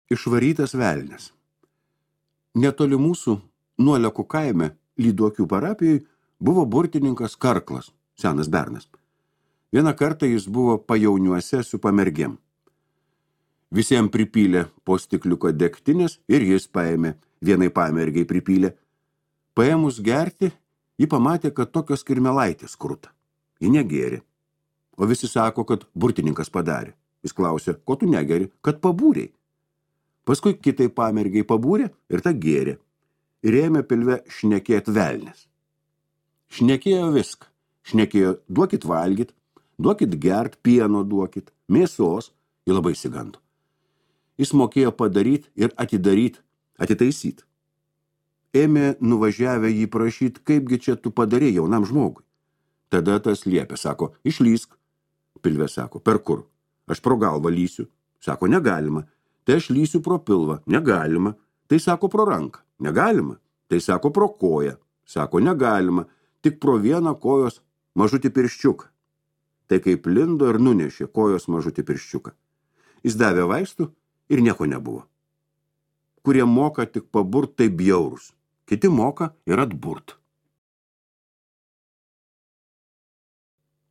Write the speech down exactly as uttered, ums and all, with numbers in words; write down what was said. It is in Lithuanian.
Išvarytas velnias. Netoli mūsų, Nuolekų kaime, Lyduokių parapijoj, buvo burtininkas Karklas, senas bernas. Vieną kartą jis buvo pajauniuose su pamergėm. Visiems pripylė po stikliuko degtinės ir jis paėmė, vienai pamergiai pripylė. Paėmus gerti, ji pamatė, kad tokios kirmelaitės kruta. Ji negėrė. O visi sako, kad burtininkas padarė. Jis klausė, ko tu negeri, kad pabūrei. Paskui kitai pamergiai pabūrė ir ta gėrė. Ir ėmė pilve šnekėt velnis. Šnekėjo viską. Šnekėjo, duokit valgyt, duokit gert, pieno duokit, mėsos, ji labai sigando. Jis mokėjo padaryt ir atidaryt, atitaisyt. Ėmė nuvažiavę jį prašyt, kaipgi čia tu padarė jaunam žmogui. Tada tas liepė, sako, išlysk. Pilvė sako, per kur? Aš pro galvą lysiu. Sako, negalima. Tai aš lysiu pro pilvą. Negalima. Tai sako, pro ranką. Negalima. Tai sako, pro koją. Sako, negalima. Tik pro vieną kojos mažutį pirščiuką. Tai kaip lindo ir nunešė kojos mažutį pirščiuką. Jis davė vaistų ir nieko nebuvo. Kurie moka tik paburt, tai bjaurus. Kiti moka ir atburt.